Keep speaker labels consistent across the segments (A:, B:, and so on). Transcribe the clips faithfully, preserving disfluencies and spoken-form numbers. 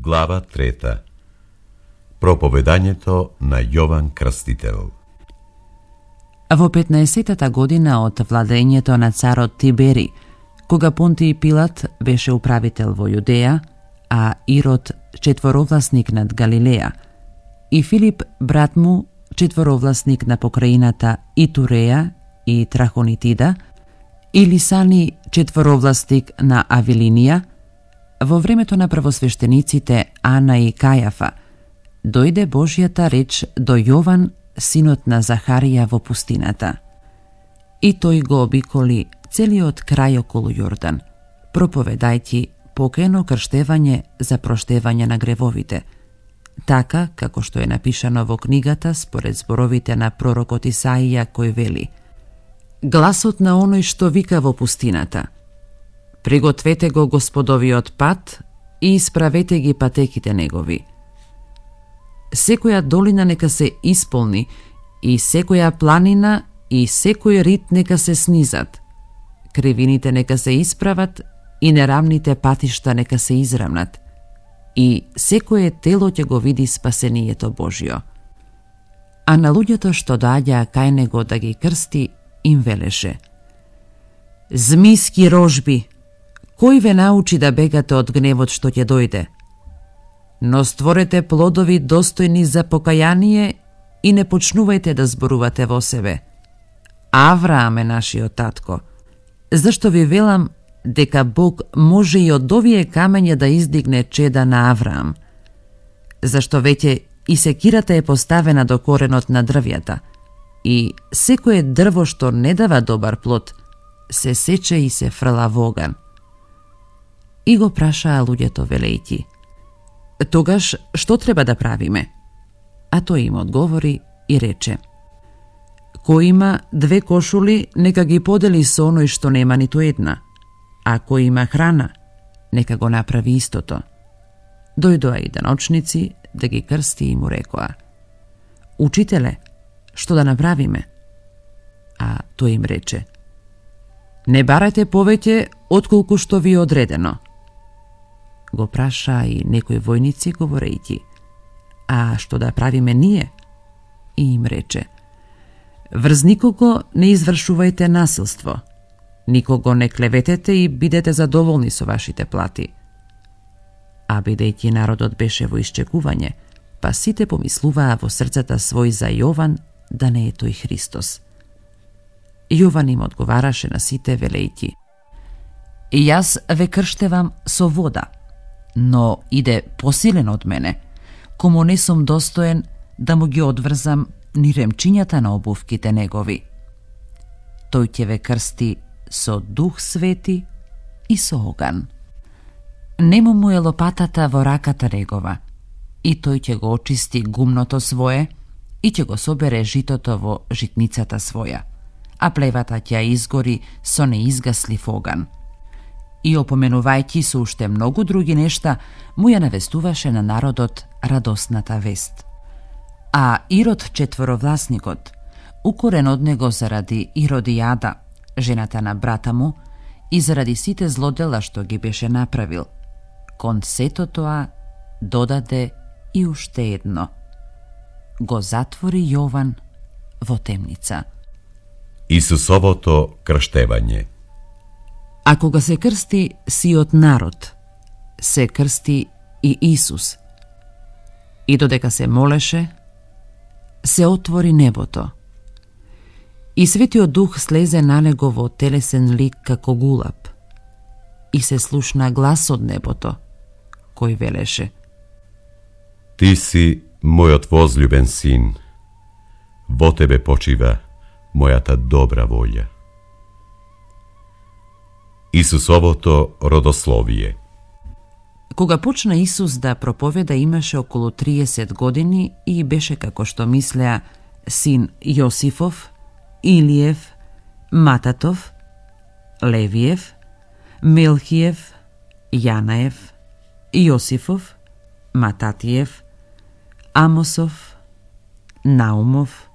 A: Глава трета. Проповедањето на Јован Крстител.
B: Во петнаесеттата година од владењето на царот Тибери, кога Понтиј Пилат беше управител во Јудеја, а Ирод четворовласник над Галилеја, и Филип, брат му, четворовласник на покраината Итуреја и Трахонитида, и Лисани, четворовласник на Авилинија, во времето на првосвештениците Ана и Кајафа, дојде Божјата реч до Јован, синот на Захарија во пустината. И тој го обиколи целиот крај околу Јордан, проповедајќи покајно крштевање за проштевање на гревовите, така како што е напишано во книгата според зборовите на пророкот Исаија, кој вели: гласот на оној што вика во пустината: пригответе го Господовиот пат и исправете ги патеките негови. Секоја долина нека се исполни, и секоја планина и секој рид нека се снизат. Кривините нека се исправат и нерамните патишта нека се израмнат. И секое тело ќе го види спасението Божјо. А на луѓето што доаѓаа кај него да ги крсти, им велеше: змиски рожби, кој ве научи да бегате од гневот што ќе дојде? Но створете плодови достојни за покаяние и не почнувајте да зборувате во себе: Авраам е нашиот татко. Зашто ви велам дека Бог може и од овие камења да издигне чеда на Авраам. Зашто веќе и секирата е поставена до коренот на дрвјата, и секое дрво што не дава добар плод се сече и се фрла во оган. И го прашаа луѓето велејќи: тогаш што треба да правиме? А тој им одговори и рече: кој има две кошули, нека ги подели со оној што нема ниту една, а кој има храна, нека го направи истото. Дојдоа и деночници да ги крсти и му рекоа: учителе, што да направиме? А тој им рече: не барате повеќе отколку што ви е одредено. Го праша и некои војници говорејќи: а што да правиме ние? И им рече: врз никого не извршувајте насилство, никого не клеветете и бидете задоволни со вашите плати. А бидејќи народот беше во исчекување, па сите помислуваа во срцата свој за Јован да не е тој Христос. Јован им одговараше на сите велејќи: и јас ве крштевам со вода, но иде посилен од мене, кому не сум достоен да му ги одврзам ни ремчињата на обувките негови. Тој ќе ве крсти со Дух Свети и со оган. Нему му е лопатата во раката негова, и тој ќе го очисти гумното свое и ќе го собере житото во житницата своја, а плевата ќе ја изгори со неизгаслив оган. И опоменувајќи со уште многу други нешта, му ја навестуваше на народот радосната вест. А Ирод четворовласникот, укорен од него заради Иродијада, жената на брата му, и заради сите злодела што ги беше направил, кон сето тоа додаде и уште едно: го затвори Јован во темница.
A: Исусовото крштевање.
B: А кога се крсти сиот народ, се крсти и Исус. И додека се молеше, се отвори небото. И Светиот Дух слезе на него во телесен лик како гулаб. И се слушна глас од небото, кој велеше:
A: Ти си мојот возљубен син, во тебе почива мојата добра волја. Исусовото родословие.
B: Кога почна Исус да проповеда, имаше околу триесет години и беше, како што мислеа, син Јосифов, Илиев, Мататов, Левиев, Мелхиев, Јанаев, Јосифов, Мататиев, Амосов, Наумов,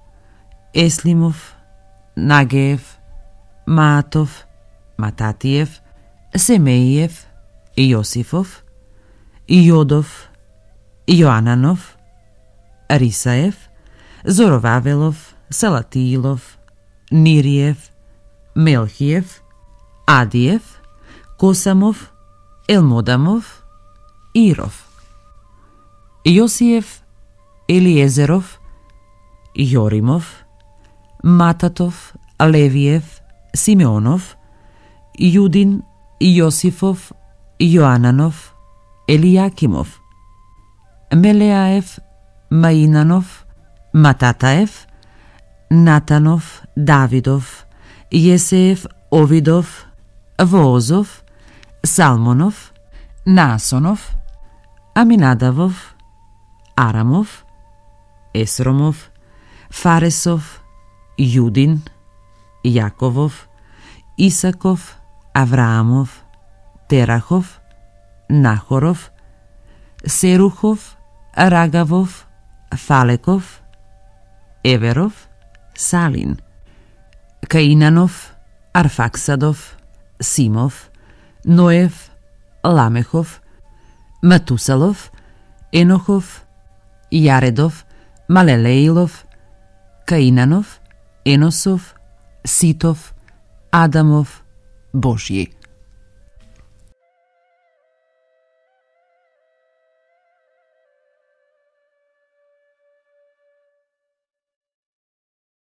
B: Еслимов, Нагеев, Маатов, Мататиев, Семеиев, Јосифов, Јодов, Јоананов, Рисаев, Зоровавелов, Салатиилов, Нириев, Мелхиев, Адиев, Косамов, Елмодамов, Иров, Јосиев, Елиезеров, Јоримов, Мататов, Левиев, Симеонов, Јудин, Јосифов, Јоананов, Елијакимов, Мелеаев, Маинанов, Мататаев, Натанов, Давидов, Јесеев, Овидов, Воозов, Салмонов, Наасонов, Аминадавов, Арамов, Есромов, Фаресов, Јудин, Јаковов, Исаков, Авраамов, Терахов, Нахоров, Серухов, Рагавов, Фалеков, Еверов, Салин, Каинанов, Арфаксадов, Симов, Ноев, Ламехов, Матусалов, Енохов, Јаредов, Малелеилов, Каинанов, Еносов, Ситов, Адамов, Божји.